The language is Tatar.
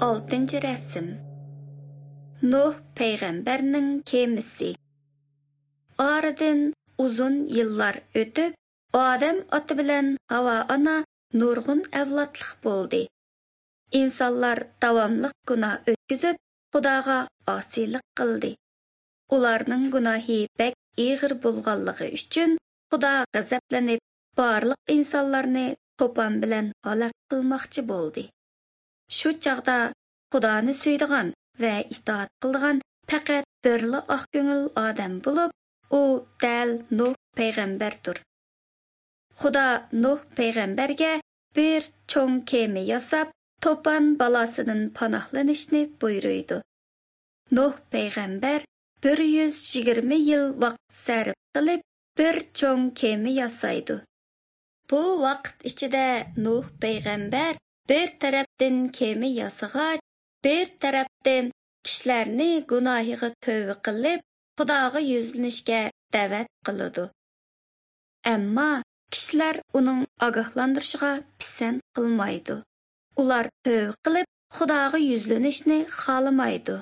Oltinchi rasm. Nuh payg'ambarning kemasi. Oradan uzun yillar o'tib, Odam ota bilan Havo ona nurg'un avlodliq bo'ldi. Insonlar davomliq gunoh o'tkazib, Xudoga osiylik qildi. Ularning gunohi bak ig'ir bo'lganligi uchun Xudo g'azablanib, barliq insonlarni to'pon bilan halok qilmoqchi bo'ldi. Shu chog'da Xudoni suydigan va itoat qildigan faqat birla oq ko'ngil odam bo'lib, u dal Nuh payg'ambardir. Xudo Nuh payg'ambarga bir cho'ng kema yasab, to'pon balosidan panohlanishni buyuruydi. Nuh payg'ambar 120 yil vaqt sarf qilib, bir cho'ng kema yasaydi. Bu vaqt ichida Nuh payg'ambar bir tarafdan kema yasag'ach, bir tarafdan kishilarni gunohiga tövbe qilib, Xudoga yuzlanishga da'vat qiladi. Ammo kishilar uning ogohlantirishiga pisand qilmaydi. Ular tövbe qilib, Xudoga yuzlanishni xohlamaydi.